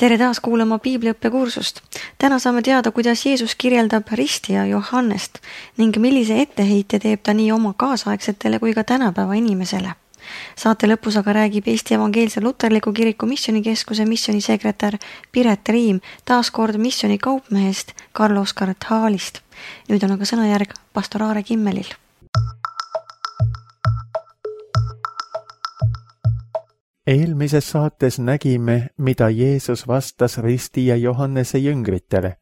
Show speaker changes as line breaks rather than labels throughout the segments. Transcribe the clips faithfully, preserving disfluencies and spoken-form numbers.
Tere taas kuulama piibliõppekursust. Täna saame teada, kuidas Jeesus kirjeldab ristija Johannest ning millise etteheite teeb ta nii oma kaasaegsetele kui ka tänapäeva inimesele. Saate lõpus aga räägib Eesti Evangeelse Luterliku Kiriku Missionikeskuse missionisekretär Piret Riim taas kord missioni kaupmehest Karl-Oskar Thalist. Nüüd on aga sõnajärg pastor Aare Kimmelil.
Eelmises saates nägime, mida Jeesus vastas ristija Johannese jüngritele.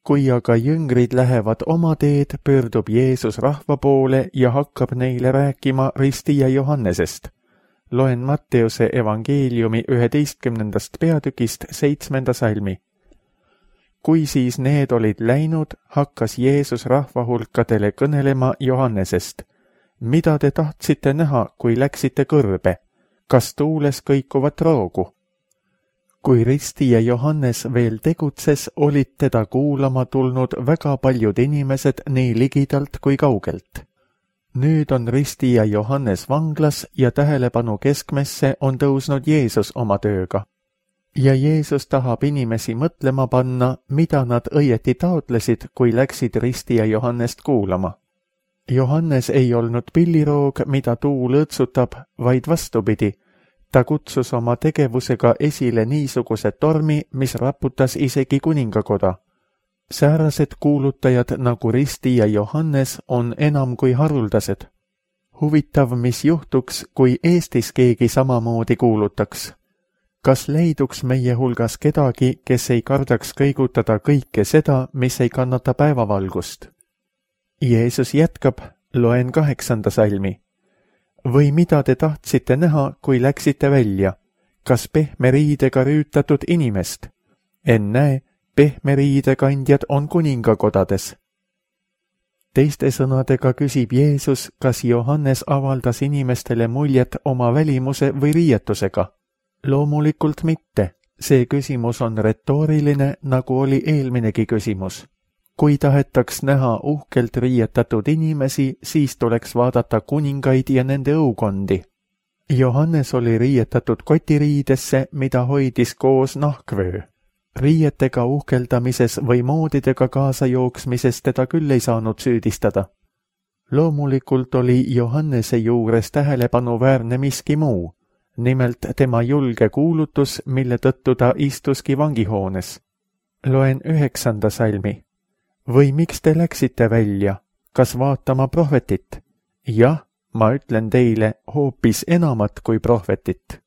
Kui aga jüngrid lähevad oma teed, pöördub Jeesus rahva poole ja hakkab neile rääkima ristija Johannesest. Loen Matteuse evangeeliumi üheteistkümnendast peatükist seitsmenda salmi. Kui siis need olid läinud, hakkas Jeesus rahva hulkadele kõnelema Johannesest. Mida te tahtsite näha, kui läksite kõrbe? Kas tuules kõikuvat roogu? Kui ristija Johannes veel tegutses, olid teda kuulama tulnud väga paljud inimesed nii ligidalt kui kaugelt. Nüüd on ristija Johannes vanglas ja tähelepanu keskmesse on tõusnud Jeesus oma tööga. Ja Jeesus tahab inimesi mõtlema panna, mida nad õieti taotlesid, kui läksid ristija Johannest kuulama. Johannes ei olnud pilliroog, mida tuu lõõtsutab, vaid vastupidi. Ta kutsus oma tegevusega esile niisuguse tormi, mis raputas isegi kuningakoda. Säärased kuulutajad nagu ristija Johannes on enam kui haruldased. Huvitav, mis juhtuks, kui Eestis keegi samamoodi kuulutaks. Kas leiduks meie hulgas kedagi, kes ei kardaks kõigutada kõike seda, mis ei kannata päevavalgust? Jeesus jätkab, loen kaheksanda salmi. Või mida te tahtsite näha, kui läksite välja? Kas pehme riidega rüütatud inimest? Ennäe, pehme riidekandjad on kuningakodades. Teiste sõnadega küsib Jeesus, kas Johannes avaldas inimestele muljet oma välimuse või riietusega? Loomulikult mitte. See küsimus on retooriline, nagu oli eelminegi küsimus. Kui tahetaks näha uhkelt riietatud inimesi, siis tuleks vaadata kuningaid ja nende õukondi. Johannes oli riietatud kotiriidesse, mida hoidis koos nahkvöö. Riietega uhkeldamises või moodidega kaasa jooksmises teda küll ei saanud süüdistada. Loomulikult oli Johannese juures tähelepanuväärne miski muu, nimelt tema julge kuulutus, mille tõttu ta istuski vangihoones. Loen üheksanda salmi. Või miks te läksite välja? Kas vaatama prohvetit? Jah, ma ütlen teile hoopis enamat kui prohvetit.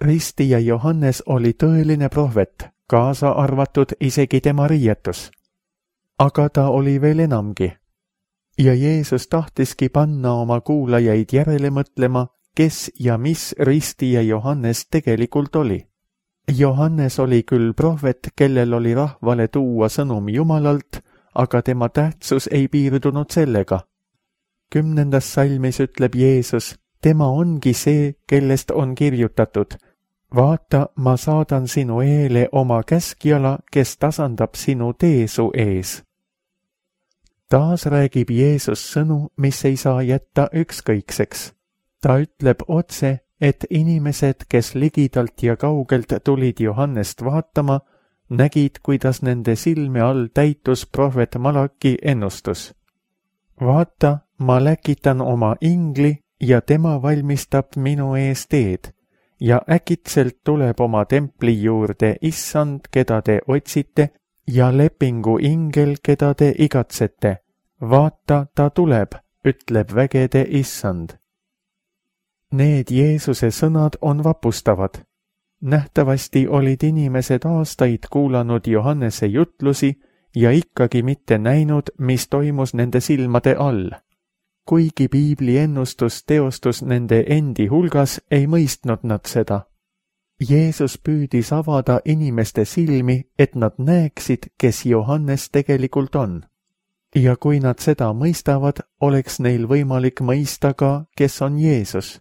Ristija Johannes oli tõeline prohvet, kaasa arvatud isegi tema riietus. Aga ta oli veel enamgi. Ja Jeesus tahtiski panna oma kuulajaid järele mõtlema, kes ja mis ristija Johannes tegelikult oli. Johannes oli küll prohvet, kellel oli rahvale tuua sõnum Jumalalt, aga tema tähtsus ei piirdunud sellega. Kümnendas salmis ütleb Jeesus, tema ongi see, kellest on kirjutatud. Vaata, ma saadan sinu eele oma käskjala, kes tasandab sinu tee su ees. Taas räägib Jeesus sõnu, mis ei saa jätta ükskõikseks. Ta ütleb otse, et inimesed, kes ligidalt ja kaugelt tulid Johannest vaatama, nägid, kuidas nende silme all täitus prohvet Malaki ennustus. Vaata, ma läkitan oma ingli ja tema valmistab minu ees teed ja äkitselt tuleb oma templi juurde issand, keda te otsite, ja lepingu ingel, keda te igatsete. Vaata, ta tuleb, ütleb vägede issand. Need Jeesuse sõnad on vapustavad. Nähtavasti olid inimesed aastaid kuulanud Johannese jutlusi ja ikkagi mitte näinud, mis toimus nende silmade all. Kuigi piibli ennustus teostus nende endi hulgas, ei mõistnud nad seda. Jeesus püüdis avada inimeste silmi, et nad näeksid, kes Johannes tegelikult on. Ja kui nad seda mõistavad, oleks neil võimalik mõista ka, kes on Jeesus.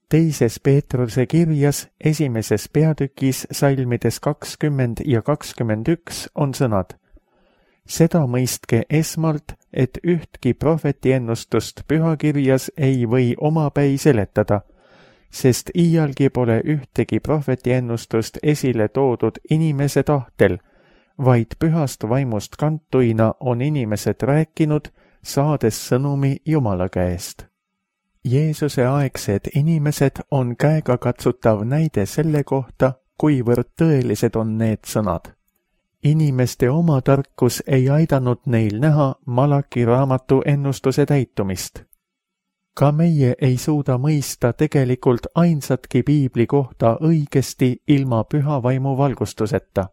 Teises Peetruse kirjas esimeses peatükis salmides kakskümmend ja kakskümmend üks on sõnad. Seda mõistke esmalt, et ühtki prohveti ennustust pühakirjas ei või omapäi seletada, sest iialgi pole ühtegi prohveti ennustust esile toodud inimese tahtel, vaid pühast vaimust kantuina on inimesed rääkinud, saades sõnumi Jumala käest. Jeesuse aegsed inimesed on käegakatsutav näide selle kohta, kuivõrd tõelised on need sõnad. Inimeste oma tarkus ei aidanud neil näha Malaki raamatu ennustuse täitumist. Ka meie ei suuda mõista tegelikult ainsatki piibli kohta õigesti ilma püha vaimu valgustuseta.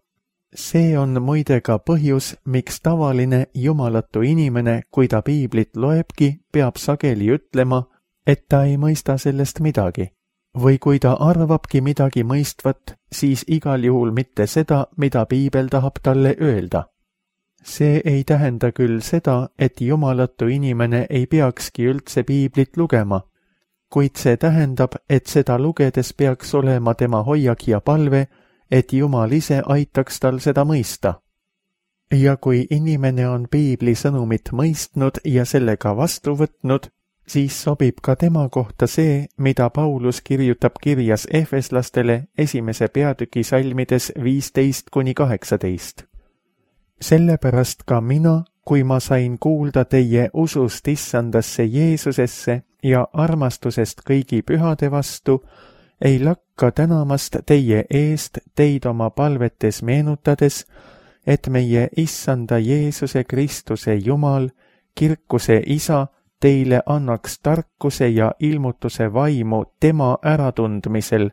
See on muide ka põhjus, miks tavaline jumalatu inimene, kui ta piiblit loebki, peab sageli ütlema, et ta ei mõista sellest midagi. Või kui ta arvabki midagi mõistvat, siis igal juhul mitte seda, mida piibel tahab talle öelda. See ei tähenda küll seda, et jumalatu inimene ei peakski üldse piiblit lugema, kuid see tähendab, et seda lugedes peaks olema tema hoiak ja palve, et Jumal ise aitaks tal seda mõista. Ja kui inimene on piibli sõnumit mõistnud ja sellega vastu võtnud, siis sobib ka tema kohta see, mida Paulus kirjutab kirjas Efeslastele esimese peatüki salmides viisteist kuni kaheksateist. Sellepärast ka mina, kui ma sain kuulda teie usust issandasse Jeesusesse ja armastusest kõigi pühade vastu, ei lakka tänamast teie eest teid oma palvetes meenutades, et meie issanda Jeesuse Kristuse Jumal, kirkuse Isa, teile annaks tarkuse ja ilmutuse vaimu tema äratundmisel,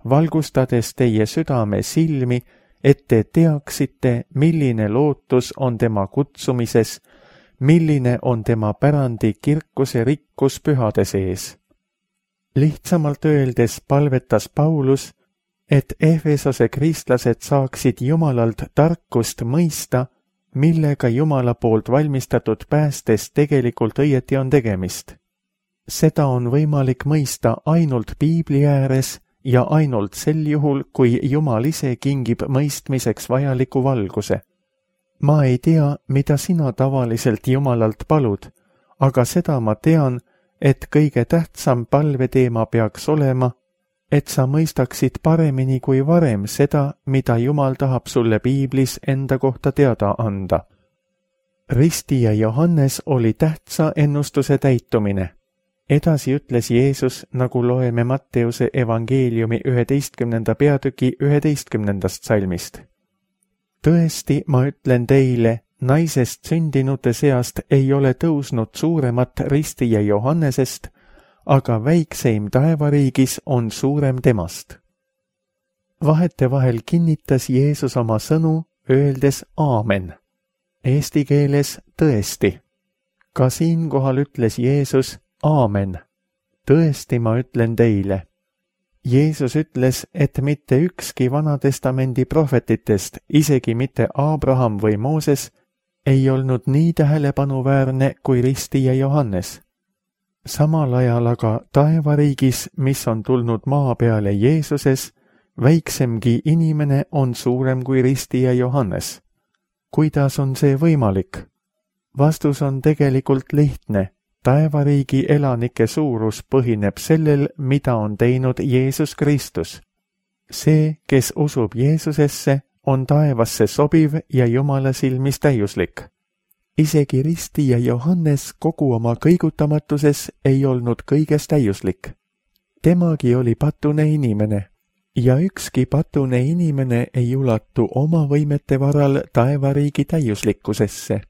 valgustades teie südame silmi, et te teaksite, milline lootus on tema kutsumises, milline on tema pärandi kirkuse rikkus pühade sees. Lihtsamalt öeldes palvetas Paulus, et Efesose kristlased saaksid Jumalalt tarkust mõista, millega Jumala poolt valmistatud päästes tegelikult õieti on tegemist. Seda on võimalik mõista ainult piibli ääres ja ainult sel juhul, kui Jumal ise kingib mõistmiseks vajaliku valguse. Ma ei tea, mida sina tavaliselt Jumalalt palud, aga seda ma tean, et kõige tähtsam palveteema peaks olema, et sa mõistaksid paremini kui varem seda, mida Jumal tahab sulle piiblis enda kohta teada anda. Ristija Johannes oli tähtsa ennustuse täitumine. Edasi ütles Jeesus, nagu loeme Matteuse evangeeliumi üheteistkümnenda peatüki üheteistkümnendast salmist. Tõesti, ma ütlen teile, naisest sündinute seast ei ole tõusnud suuremat ristija Johannesest, aga väikseim taevariigis on suurem temast. Vahetevahel kinnitas Jeesus oma sõnu, öeldes aamen. Eesti keeles tõesti. Ka siinkohal ütles Jeesus aamen. Tõesti ma ütlen teile. Jeesus ütles, et mitte ükski Vanatestamendi prohvetitest, isegi mitte Abraham või Mooses, ei olnud nii tähelepanuväärne kui ristija Johannes. Samal ajal aga taevariigis, mis on tulnud maa peale Jeesuses, väiksemgi inimene on suurem kui ristija Johannes. Kuidas on see võimalik? Vastus on tegelikult lihtne. Taevariigi elanike suurus põhineb sellel, mida on teinud Jeesus Kristus. See, kes usub Jeesusesse, on taevasse sobiv ja Jumala silmis täiuslik. Isegi ristija Johannes kogu oma kõigutamatuses ei olnud kõiges täiuslik. Temagi oli patune inimene ja ükski patune inimene ei ulatu oma võimete varal taevariigi täiuslikkusesse.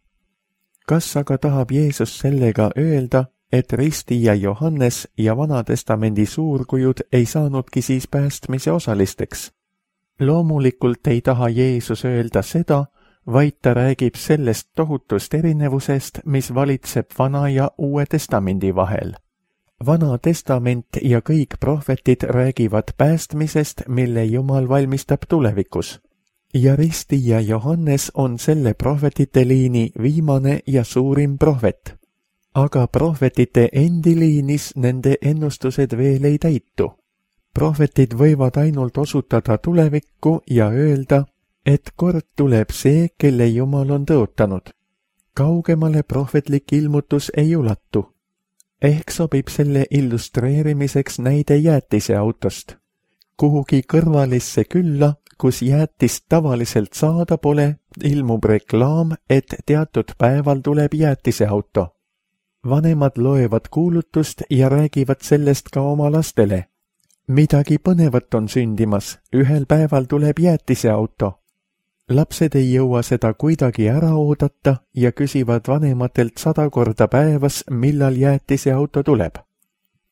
Kas aga tahab Jeesus sellega öelda, et ristija Johannes ja Vanatestamendi suurkujud ei saanudki siis päästmise osalisteks? Loomulikult ei taha Jeesus öelda seda, vaid ta räägib sellest tohutust erinevusest, mis valitseb Vana ja Uue Testamendi vahel. Vana Testament ja kõik prohvetid räägivad päästmisest, mille Jumal valmistab tulevikus. Ja ristija Johannes on selle prohvetite liini viimane ja suurim prohvet. Aga prohvetite endi liinis nende ennustused veel ei täitu. Prohvetid võivad ainult osutada tulevikku ja öelda, et kord tuleb see, kelle Jumal on tõotanud. Kaugemale prohvetlik ilmutus ei ulatu. Ehk sobib selle illustreerimiseks näide jäätiseautost. Kuhugi kõrvalisse külla, kus jäätist tavaliselt saada pole, ilmub reklaam, et teatud päeval tuleb jäätiseauto. Vanemad loevad kuulutust ja räägivad sellest ka oma lastele. Midagi põnevat on sündimas, ühel päeval tuleb jäätiseauto. Lapsed ei jõua seda kuidagi ära oodata ja küsivad vanematelt sada korda päevas, millal jäätiseauto tuleb.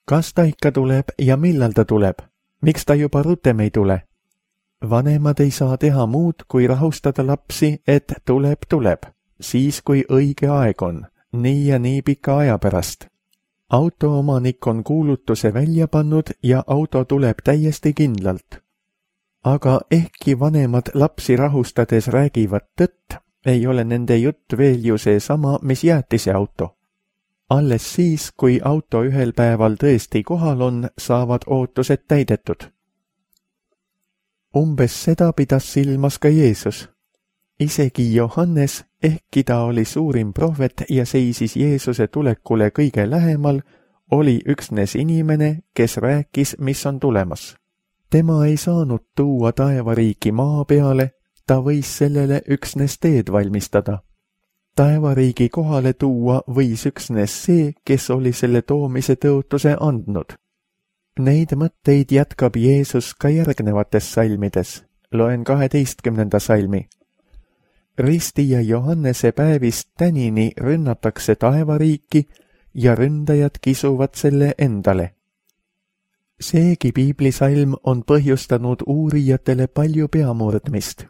Kas ta ikka tuleb ja millal ta tuleb? Miks ta juba rutem ei tule? Vanemad ei saa teha muud, kui rahustada lapsi, et tuleb, tuleb, siis kui õige aeg on, nii ja nii pika aja pärast. Auto omanik on kuulutuse välja pannud ja auto tuleb täiesti kindlalt. Aga ehkki vanemad lapsi rahustades räägivad tõtt, ei ole nende jutt veel ju see sama, mis jäätiseauto. Alles siis, kui auto ühel päeval tõesti kohal on, saavad ootused täidetud. Umbes seda pidas silmas ka Jeesus. Isegi Johannes, ehkki ta oli suurim prohvet ja seisis Jeesuse tulekule kõige lähemal, oli üksnes inimene, kes rääkis, mis on tulemas. Tema ei saanud tuua taevariiki maa peale, ta võis sellele üksnes teed valmistada. Taevariigi kohale tuua võis üksnes see, kes oli selle toomise tõotuse andnud. Neid mõtteid jätkab Jeesus ka järgnevates salmides. Loen kaheteistkümnenda salmi. Ristija Johannese päevist tänini rünnatakse taevariiki ja ründajad kisuvad selle endale. Seegi piiblisalm on põhjustanud uurijatele palju peamurdmist.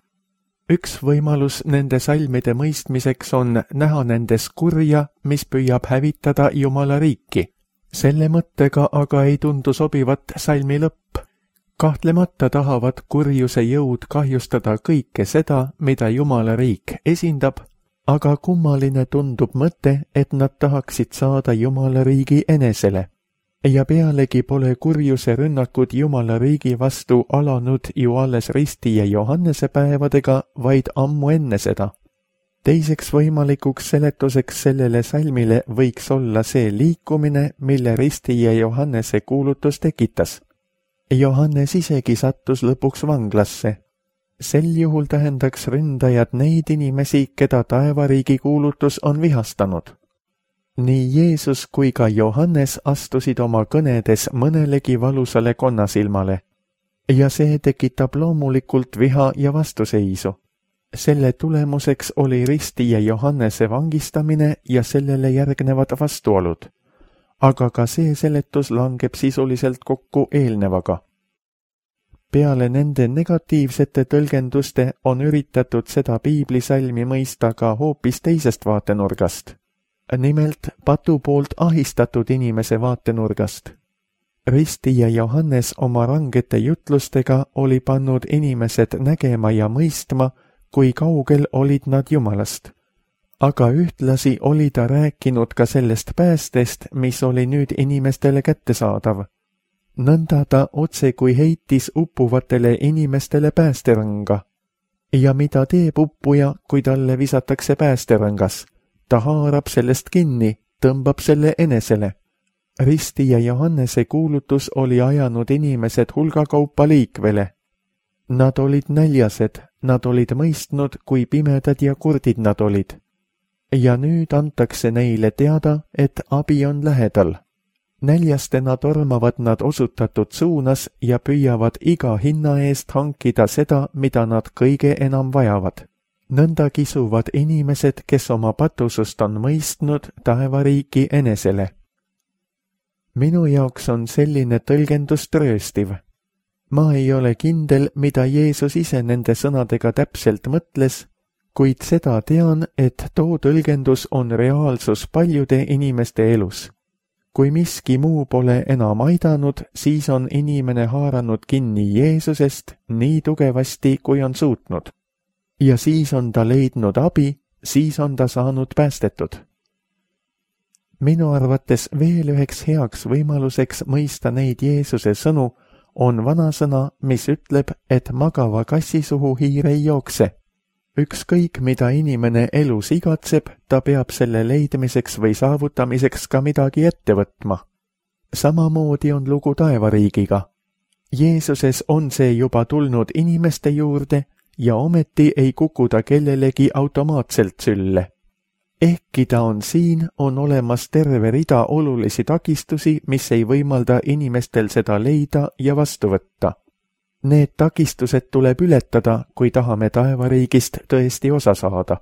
Üks võimalus nende salmide mõistmiseks on näha nendes kurja, mis püüab hävitada Jumala riiki. Selle mõttega aga ei tundu sobivat salmi lõpp. Kahtlemata tahavad kurjuse jõud kahjustada kõike seda, mida Jumala riik esindab, aga kummaline tundub mõte, et nad tahaksid saada Jumala riigi enesele. Ja pealegi pole kurjuse rünnakud Jumala riigi vastu alanud ju alles Ristija Johannese päevadega, vaid ammu enne seda. Teiseks võimalikuks seletuseks sellele salmile võiks olla see liikumine, mille Ristija Johannese kuulutus tekitas. Johannes isegi sattus lõpuks vanglasse. Sel juhul tähendaks ründajad neid inimesi, keda taevariigi kuulutus on vihastanud. Nii Jeesus kui ka Johannes astusid oma kõnedes mõnelegi valusale konnasilmale. Ja see tekitab loomulikult viha ja vastuseisu. Selle tulemuseks oli Ristija Johannese vangistamine ja sellele järgnevad vastuolud. Aga ka see seletus langeb sisuliselt kokku eelnevaga. Peale nende negatiivsete tõlgenduste on üritatud seda piiblisalmi mõista ka hoopis teisest vaatenurgast. Nimelt patu poolt ahistatud inimese vaatenurgast. Ristija Johannes oma rangete jutlustega oli pannud inimesed nägema ja mõistma, kui kaugel olid nad Jumalast. Aga ühtlasi oli ta rääkinud ka sellest päästest, mis oli nüüd inimestele kättesaadav. Nõnda ta otse kui heitis uppuvatele inimestele päästerõnga. Ja mida teeb uppuja, kui talle visatakse päästerõngas? Ta haarab sellest kinni, tõmbab selle enesele. Ristija Johannese kuulutus oli ajanud inimesed hulgakaupa liikvele. Nad olid näljased, nad olid mõistnud, kui pimedad ja kurdid nad olid. Ja nüüd antakse neile teada, et abi on lähedal. Näljastena tormavad nad osutatud suunas ja püüavad iga hinna eest hankida seda, mida nad kõige enam vajavad. Nõnda kisuvad inimesed, kes oma patusust on mõistnud, taevariiki enesele. Minu jaoks on selline tõlgendus trööstiv. Ma ei ole kindel, mida Jeesus ise nende sõnadega täpselt mõtles, kuid seda tean, et too tõlgendus on reaalsus paljude inimeste elus. Kui miski muu pole enam aidanud, siis on inimene haaranud kinni Jeesusest nii tugevasti, kui on suutnud. Ja siis on ta leidnud abi, siis on ta saanud päästetud. Minu arvates veel üheks heaks võimaluseks mõista neid Jeesuse sõnu on vanasõna, mis ütleb, et magava kassi suhu hiir ei jookse. Ükskõik, mida inimene elus igatseb, ta peab selle leidmiseks või saavutamiseks ka midagi ette võtma. Samamoodi on lugu taevariigiga. Jeesuses on see juba tulnud inimeste juurde ja ometi ei kuku ta kellelegi automaatselt sülle. Ehkki ta on siin, on olemas terve rida olulisi takistusi, mis ei võimalda inimestel seda leida ja vastu võtta. Need takistused tuleb ületada, kui tahame taevariigist tõesti osa saada.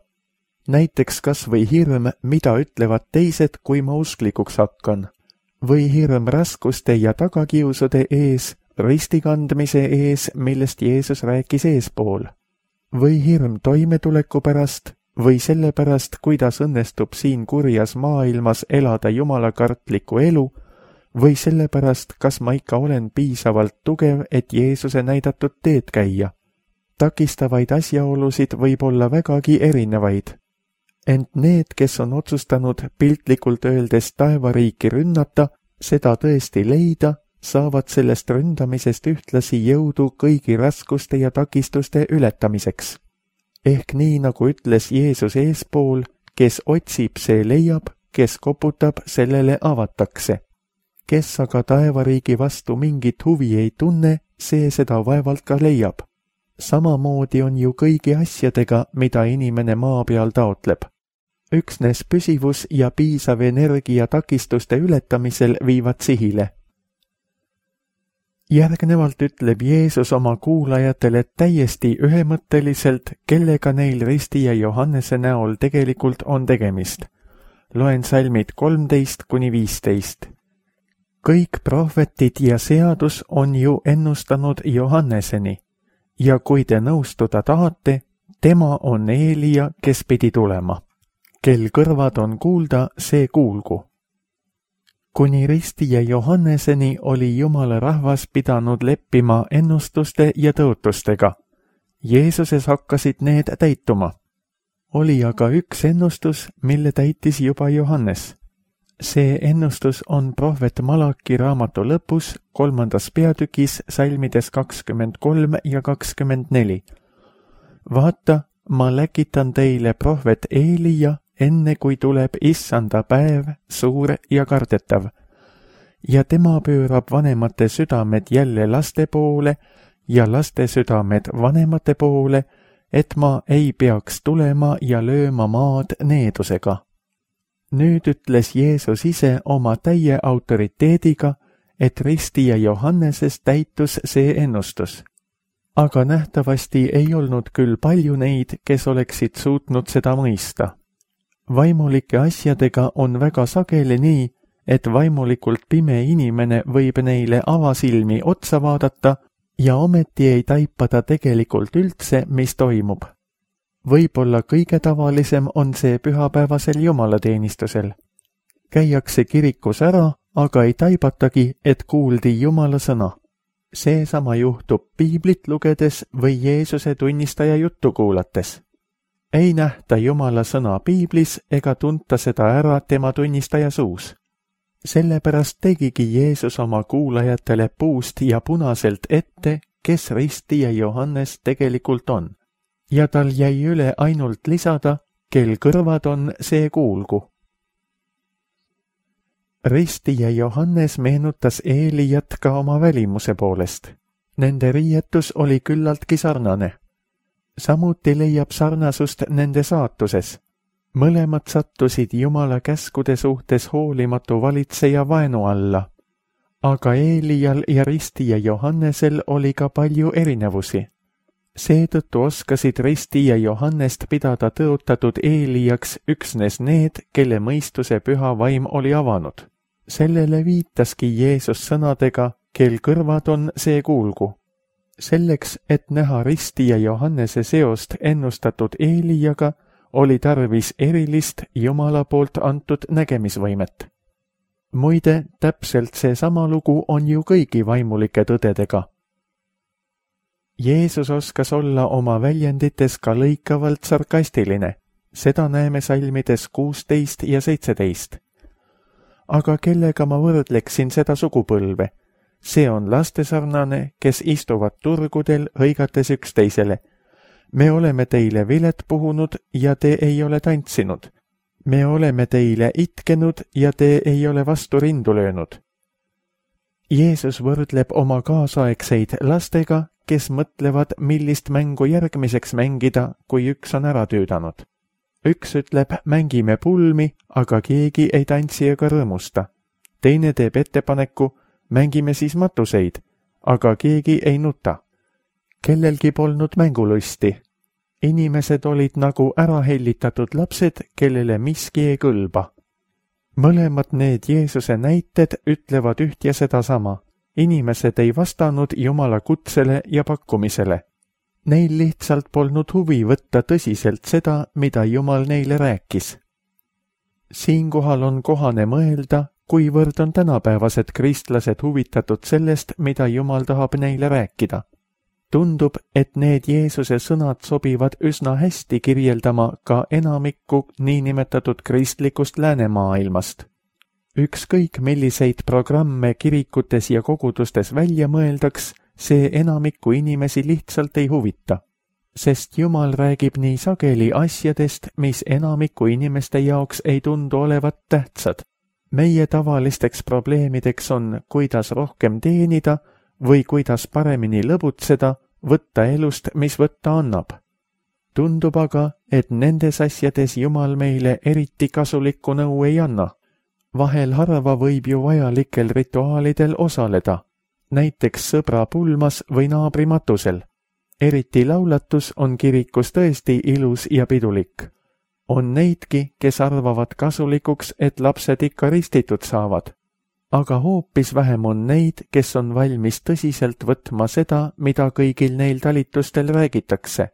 Näiteks kas või hirm, mida ütlevad teised, kui ma usklikuks hakkan. Või hirm raskuste ja tagakiusude ees, ristikandmise ees, millest Jeesus rääkis eespool. Või hirm toimetuleku pärast, või selle pärast, kuidas õnnestub siin kurjas maailmas elada jumalakartlikku elu, või sellepärast, kas ma ikka olen piisavalt tugev, et Jeesuse näidatud teed käia. Takistavaid asjaolusid võib olla vägagi erinevaid. Ent need, kes on otsustanud piltlikult öeldes taevariiki rünnata, seda tõesti leida, saavad sellest ründamisest ühtlasi jõudu kõigi raskuste ja takistuste ületamiseks. Ehk nii, nagu ütles Jeesus eespool, kes otsib, see leiab, kes koputab, sellele avatakse. Kes aga taevariigi vastu mingit huvi ei tunne, see seda vaevalt ka leiab. Samamoodi on ju kõigi asjadega, mida inimene maa peal taotleb. Üksnes püsivus ja piisav energia takistuste ületamisel viivad sihile. Järgnevalt ütleb Jeesus oma kuulajatele täiesti ühemõtteliselt, kellega neil Risti ja Johannese näol tegelikult on tegemist. Loen salmid kolmteist kuni viisteist. Kõik prohvetid ja seadus on ju ennustanud Johanneseni ja kui te nõustuda tahate, tema on Eelia, kes pidi tulema. Kel kõrvad on kuulda, see kuulgu. Kuni Risti ja Johanneseni oli Jumala rahvas pidanud leppima ennustuste ja tõotustega. Jeesuses hakkasid need täituma. Oli aga üks ennustus, mille täitis juba Johannes. See ennustus on prohvet Malaki raamatu lõpus, kolmandas peatükis, salmides kakskümmend kolm ja kakskümmend neli. Vaata, ma läkitan teile prohvet Eelia, enne kui tuleb issanda päev, suur ja kardetav. Ja tema pöörab vanemate südamed jälle laste poole ja laste südamed vanemate poole, et ma ei peaks tulema ja lööma maad needusega. Nüüd ütles Jeesus ise oma täie autoriteediga, et Risti ja Johanneses täitus see ennustus. Aga nähtavasti ei olnud küll palju neid, kes oleksid suutnud seda mõista. Vaimulike asjadega on väga sageli nii, et vaimulikult pime inimene võib neile avasilmi otsa vaadata ja ometi ei taipa ta tegelikult üldse, mis toimub. Võib-olla kõige tavalisem on see pühapäevasel jumalateenistusel. Käiakse kirikus ära, aga ei taibatagi, et kuuldi Jumala sõna. Seesama juhtub piiblit lugedes või Jeesuse tunnistaja juttu kuulates. Ei nähta Jumala sõna piiblis ega tunta seda ära tema tunnistaja suus. Sellepärast tegigi Jeesus oma kuulajatele puust ja punaselt ette, kes Risti ja Johannes tegelikult on. Ja tal jäi üle ainult lisada, kel kõrvad on, see kuulgu. Risti ja Johannes meenutas Eeliat ka oma välimuse poolest. Nende riietus oli küllaltki sarnane. Samuti leiab sarnasust nende saatuses. Mõlemad sattusid Jumala käskude suhtes hoolimatu valitseja vaenu alla. Aga Eelial ja Risti ja Johannesel oli ka palju erinevusi. Seetõttu oskasid Risti ja Johannest pidada tõotatud Eeliaks üksnes need, kelle mõistuse püha vaim oli avanud. Sellele viitaski Jeesus sõnadega, kel kõrvad on, see kuulgu. Selleks, et näha Risti ja Johannese seost ennustatud Eeliaga, oli tarvis erilist Jumala poolt antud nägemisvõimet. Muide, täpselt seesama lugu on ju kõigi vaimulike tõdedega. Jeesus oskas olla oma väljendites ka lõikavalt sarkastiline, seda näeme salmides kuusteist ja seitseteist. Aga kellega ma võrdleksin seda sugupõlve? See on lastesarnane, kes istuvad turgudel hõigates üksteisele. me oleme teile vilet puhunud ja te ei ole tantsinud. me oleme teile itkenud ja te ei ole vastu rindu löönud. Jeesus võrdleb oma kaasaegseid lastega, kes mõtlevad, millist mängu järgmiseks mängida, kui üks on ära tüüdanud. Üks ütleb, mängime pulmi, aga keegi ei tantsi ega rõõmusta. Teine teeb ettepaneku, mängime siis matuseid, aga keegi ei nuta. Kellelgi polnud mängulusti. Inimesed olid nagu ära hellitatud lapsed, kellele miski ei kõlba. Mõlemad need Jeesuse näited ütlevad üht ja sedasama. Inimesed ei vastanud Jumala kutsele ja pakkumisele. Neil lihtsalt polnud huvi võtta tõsiselt seda, mida Jumal neile rääkis. Siinkohal on kohane mõelda, kuivõrd on tänapäevased kristlased huvitatud sellest, mida Jumal tahab neile rääkida. Tundub, et need Jeesuse sõnad sobivad üsna hästi kirjeldama ka enamikku niinimetatud kristlikust läänemaailmast. Ükskõik milliseid programme kirikutes ja kogudustes välja mõeldaks, see enamikku inimesi lihtsalt ei huvita. Sest Jumal räägib nii sageli asjadest, mis enamikku inimeste jaoks ei tundu olevat tähtsad. Meie tavalisteks probleemideks on, kuidas rohkem teenida või kuidas paremini lõbutseda, võtta elust, mis võtta annab. Tundub aga, et nendes asjades Jumal meile eriti kasulikku nõu ei anna. Vahel harva võib ju vajalikel rituaalidel osaleda, näiteks sõbra pulmas või naabri matusel. Eriti laulatus on kirikus tõesti ilus ja pidulik. On neidki, kes arvavad kasulikuks, et lapsed ikka ristitud saavad. Aga hoopis vähem on neid, kes on valmis tõsiselt võtma seda, mida kõigil neil talitustel räägitakse.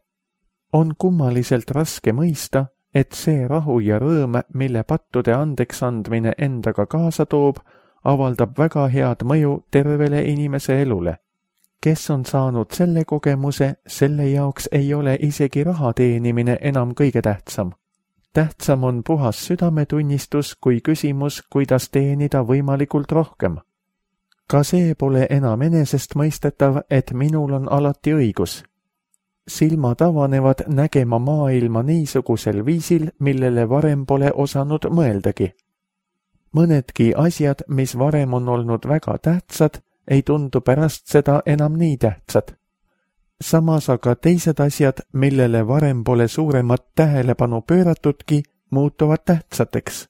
On kummaliselt raske mõista, et see rahu ja rõõm, mille pattude andeks andmine endaga kaasa toob, avaldab väga head mõju tervele inimese elule. Kes on saanud selle kogemuse, selle jaoks ei ole isegi raha teenimine enam kõige tähtsam. Tähtsam on puhas südametunnistus kui küsimus, kuidas teenida võimalikult rohkem. Ka see pole enam enesestmõistetav, et minul on alati õigus. Silmad avanevad nägema maailma niisugusel viisil, millele varem pole osanud mõeldagi. Mõnedki asjad, mis varem on olnud väga tähtsad, ei tundu pärast seda enam nii tähtsad. Samas aga teised asjad, millele varem pole suuremat tähelepanu pööratudki, muutuvad tähtsateks.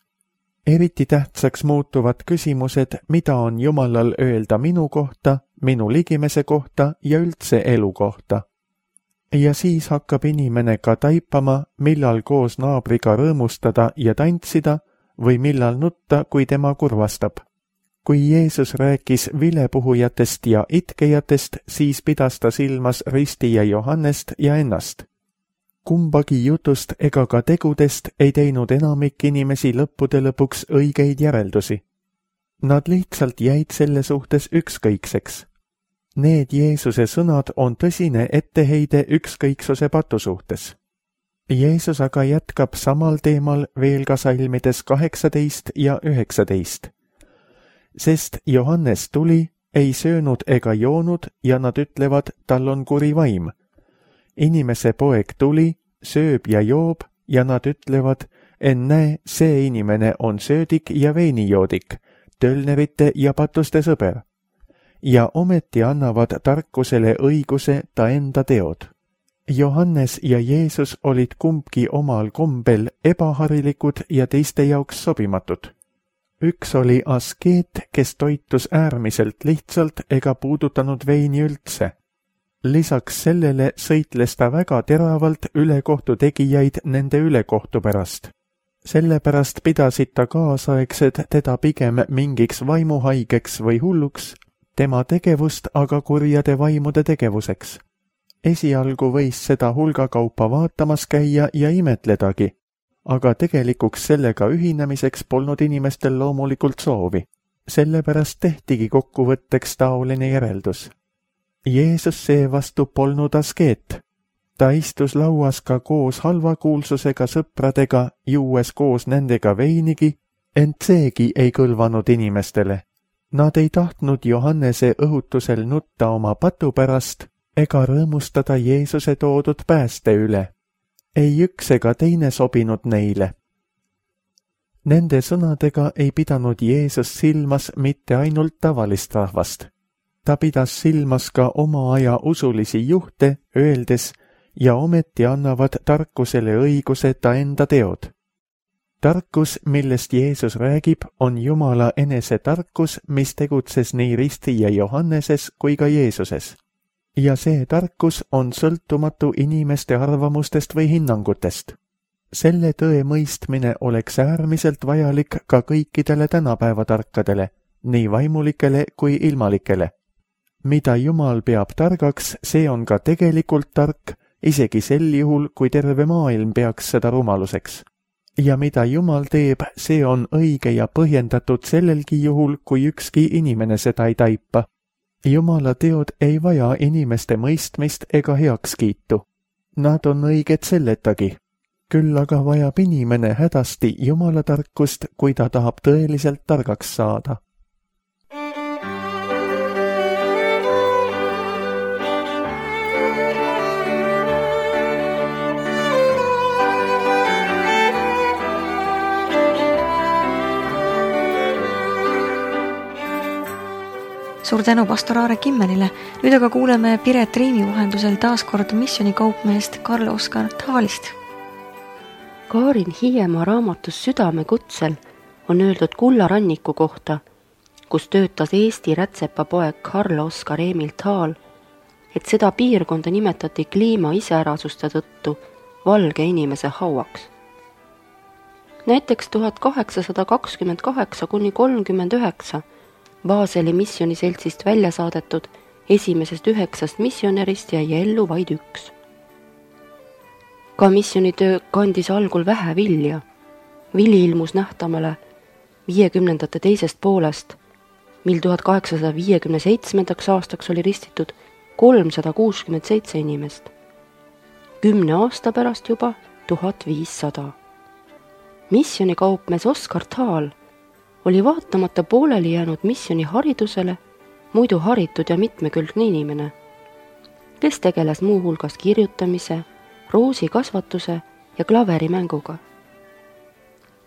Eriti tähtsaks muutuvad küsimused, mida on Jumalal öelda minu kohta, minu ligimese kohta ja üldse elu kohta. Ja siis hakkab inimene ka taipama, millal koos naabriga rõõmustada ja tantsida või millal nutta, kui tema kurvastab. Kui Jeesus rääkis vilepuhujatest ja itkejatest, siis pidas ta silmas ristija Johannest ja ennast. Kumbagi jutust ega ka tegudest ei teinud enamik inimesi lõppude lõpuks õigeid järeldusi. Nad lihtsalt jäid selle suhtes ükskõikseks. Need Jeesuse sõnad on tõsine etteheide ükskõiksuse patu suhtes. Jeesus aga jätkab samal teemal veel ka salmides kaheksateist ja üheksateist. Sest Johannes tuli, ei söönud ega joonud ja nad ütlevad, tal on kuri vaim. Inimese poeg tuli, sööb ja joob ja nad ütlevad, ennäe, see inimene on söödik ja veinijoodik, tölnerite ja patuste sõber. Ja ometi annavad tarkusele õiguse ta enda teod. Johannes ja Jeesus olid kumbki omal kombel ebaharilikud ja teiste jaoks sobimatud. Üks oli askeet, kes toitus äärmiselt lihtsalt ega puudutanud veini üldse. Lisaks sellele sõitles ta väga teravalt ülekohtu tegijaid nende ülekohtu pärast. Sellepärast pidasid ta kaasaegsed teda pigem mingiks vaimuhaigeks või hulluks, tema tegevust aga kurjade vaimude tegevuseks. Esialgu võis seda hulgakaupa vaatamas käia ja imetledagi, aga tegelikuks sellega ühinemiseks polnud inimestel loomulikult soovi. Sellepärast tehtigi kokkuvõtteks taoline järeldus. Jeesus seevastu polnud askeet. Ta istus lauas ka koos halvakuulsusega sõpradega, juues koos nendega veinigi, ent seegi ei kõlvanud inimestele. Nad ei tahtnud Johannese õhutusel nutta oma patu pärast, ega rõõmustada Jeesuse toodud pääste üle. Ei üks ega teine sobinud neile. Nende sõnadega ei pidanud Jeesus silmas mitte ainult tavalist rahvast. Ta pidas silmas ka oma aja usulisi juhte, öeldes, ja ometi annavad tarkusele õiguse ta enda teod. Tarkus, millest Jeesus räägib, on Jumala enese tarkus, mis tegutses nii ristija Johanneses kui ka Jeesuses. Ja see tarkus on sõltumatu inimeste arvamustest või hinnangutest. Selle tõe mõistmine oleks äärmiselt vajalik ka kõikidele tänapäeva tarkadele, nii vaimulikele kui ilmalikele. Mida Jumal peab targaks, see on ka tegelikult tark, isegi sel juhul, kui terve maailm peaks seda rumaluseks. Ja mida Jumal teeb, see on õige ja põhjendatud sellelgi juhul, kui ükski inimene seda ei taipa. Jumala teod ei vaja inimeste mõistmist ega heakskiitu. Nad on õiged selletagi. Küll aga vajab inimene hädasti Jumala tarkust, kui ta tahab tõeliselt targaks saada.
Suur tänu pastor Aare Kimmelile. Nüüd aga kuuleme Piret Riimi vahendusel taas kord missionikaupmeest Karl Oskar Thalist.
Kaarin Hiiemaa raamatus Südame kutsel on öeldud Kullaranniku kohta, kus töötas Eesti rätsepapoeg Karl Oskar Emil Thal, et seda piirkonda nimetati kliima iseärasuste tõttu valge inimese hauaks. Näiteks tuhat kaheksasada kakskümmend kaheksa kuni kolmkümmend üheksa Baseli missioniseltsist välja saadetud esimesest üheksast missionärist jäi ellu vaid üks. Ka missionitöö kandis algul vähe vilja. Vili ilmus nähtamale viiekümnendate teisest poolest, mil tuhat kaheksasada viiekümne seitsmendaks aastaks oli ristitud kolmsada kuuskümmend seitse inimest. Kümne aasta pärast juba tuhat viissada. Missionikaupmees Oskar Thal oli vaatamata pooleli jäänud missioni haridusele muidu haritud ja mitmekülgne inimene, kes tegeles muu hulgas kirjutamise, roosikasvatuse ja klaverimänguga.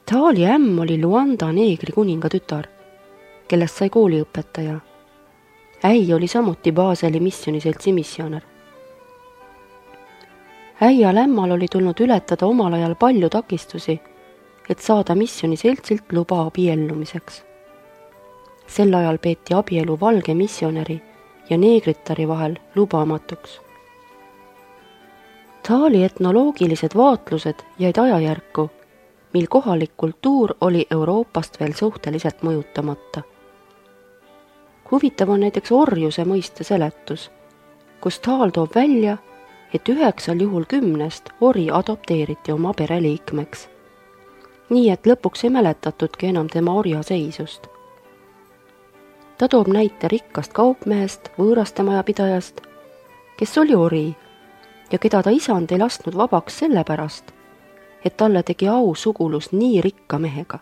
Thali ämm oli Luanda neegri kuninga tütar, kellest sai kooliõpetaja. Äi oli samuti Baseli missioniseltsi missioner. Äia lämmal oli tulnud ületada omal ajal palju takistusi, et saada missioniseltsilt luba abiellumiseks. Sel ajal peeti abielu valge missionäri ja neegritari vahel lubamatuks. Thali etnoloogilised vaatlused jäid ajajärku, mil kohalik kultuur oli Euroopast veel suhteliselt mõjutamata. Huvitav on näiteks orjuse mõiste seletus, kus Thal toob välja, et üheksal juhul kümnest ori adopteeriti oma pereliikmeks, nii et lõpuks ei mäletatudki enam tema orja seisust. Ta toob näite rikkast kaupmehest, võõrastemajapidajast, kes oli ori ja keda ta isand ei lasknud vabaks sellepärast, et talle tegi au sugulus nii rikka mehega.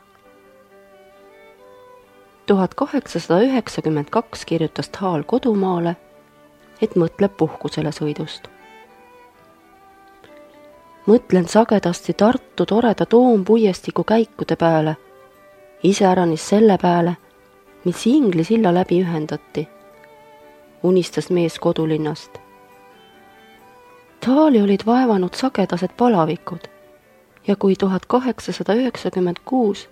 tuhat kaheksasada üheksakümmend kaks kirjutas Thal kodumaale, et mõtleb puhkusele sõidust. Mõtlen sagedasti Tartu toreda toompuiestiku käikude peale, iseäranis selle peale, mis Ingli silla läbi ühendati, unistas mees kodulinnast. Thali olid vaevanud sagedased palavikud ja kui tuhat kaheksasada üheksakümmend kuus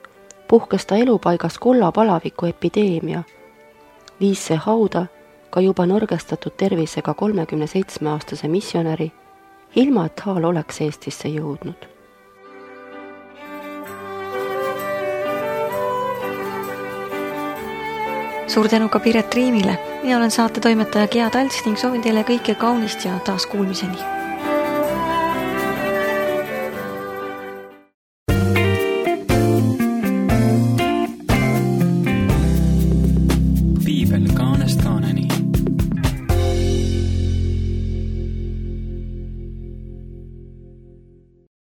puhkes ta elupaigas kollapalaviku epideemia, viis see hauda ka juba nõrgestatud tervisega kolmekümne seitsme aastase missionäri, ilma et Thal oleks Eestisse jõudnud.
Suur tänu ka Piret Riimile. Mina olen saate toimetaja Gea Talts ning soovin teile kõike kaunist ja taas kuulmiseni.